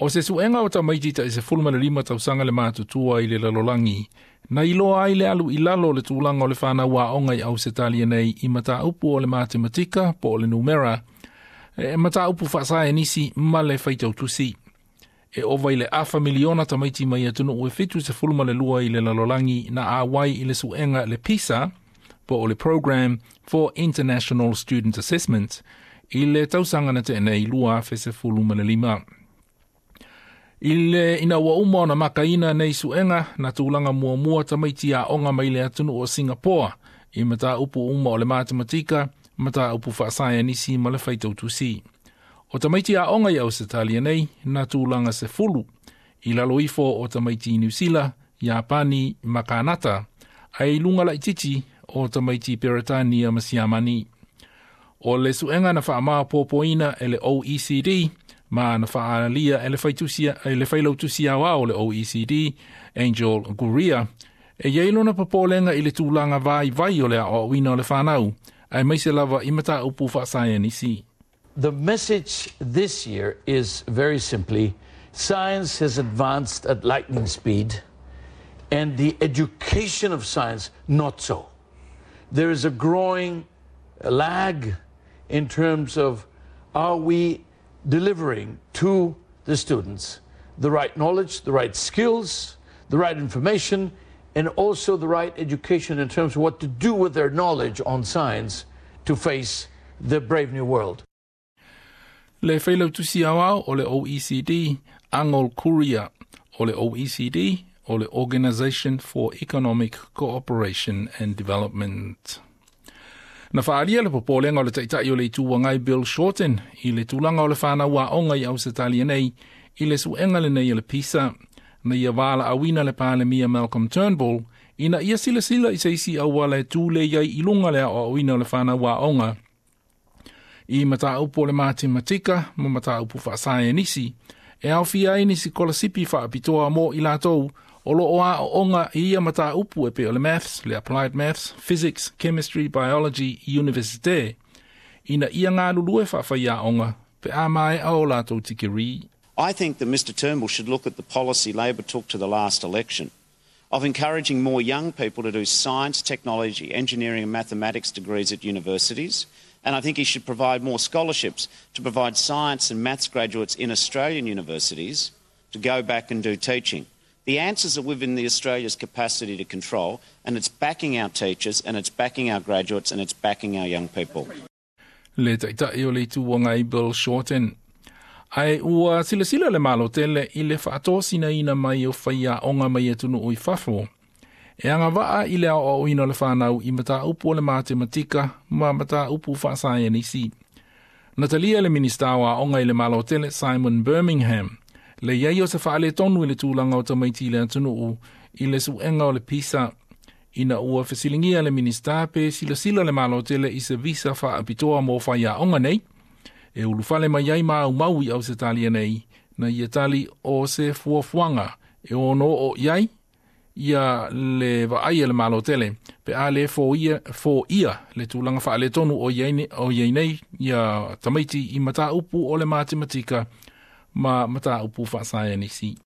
O se suega o tamaiti tai 15 tausaga le matutua i le lalolagi, na iloa ai le alu i lalo o le tulaga o le fanau aoga i Ausetalia nei i mataupu o le matematika po o le numera, e mataupu faasaenisi ma le faitautusi. E ova i le 500,000 tamaiti mai atunuu e 72 i le lalolagi na auai i le suega le PISA, po o le Program for International Student Assessment, i le tausaga na tea nei 2015. I le ina ua uma ona makaina nei suega na tulaga muamua tamaiti aoga mai le atunuu o Singapore i mataupu uma o le matematika, mataupu faasaenisi ma le faitautusi. O tamaiti aoga i Ausetalia nei na tulaga 10 i lalo ifo o tamaiti i Niu Sila, Iapani ma Kanata, ae i luga laititi o tamaiti Peretania ma Siamani. O le suega na faamaopoopoina e le OECD ma na faaalia e le e le failautusi aoao o le OECD, Angel Gurria, e iai lona popolega i le tulaga vaivai o le aoaoina o le fanau, aemaise lava i mataupu faasaenisi. The message this year is very simply, science has advanced at lightning speed, and the education of science not so. There is a growing lag in terms of, are we delivering to the students the right knowledge, the right skills, the right information, and also the right education in terms of what to do with their knowledge on science to face the brave new world. Le failautusi aoao o le OECD, Angel Gurria, o le OECD, o le Organization for Economic Cooperation and Development. Na faaalia le popolega o le taitai o le Itu Agai Bill Shorten i le tulaga o le fanau aoga i Ausetalia nei i le suega lenei o le PISA. Na ia valaauina le Palemia Malcolm Turnbull ina ia silasila i se isi auala e tulei ai i luga le aoaoina o le fanau aoga i mataupu o le matematika ma mataupu faasaenisi, e aofia ai ni sikolasipi faapitoa mo i latou o lo o aooga i ia mataupu e pei o le maths, le applied maths, physics, chemistry, biology, universite, ina ia galulue faafaiaoga pe a maea o latou tikeri. I think that Mr Turnbull should look at the policy Labor took to the last election of encouraging more young people to do science, technology, engineering and mathematics degrees at universities. And I think he should provide more scholarships to provide science and maths graduates in Australian universities to go back and do teaching. The answers are within the Australia's capacity to control, and it's backing our teachers, and it's backing our graduates, and it's backing our young people. Le taitai o le Itu Agai Bill Shorten. Ae ua silasila le Malo tele i le faatosinaina mai o faiaoga mai atunuu i fafo e agavaa i le aoaoina o le fanau i mataupu o le matematika ma mataupu faasaenisi. Na talia le Minista o Aoga i le Malo tele Simon Birmingham le iai o se faaletonu i le tulaga o tamaiti i le atunuu i le suega o le PISA. Ina ua fesiligia le Minista pe silasila le Malo tele i se visa faapitoa mo faiaoga nei e ulufale mai ai ma aumau i Ausetalia nei, na ia tali o se fuafuaga e ono oo i ai ia le vaai a le Malo tele pe a le foia le tulaga faaletonu o iai nei ia tamaiti i mataupu o le matematika ma mataupu faasaenisi.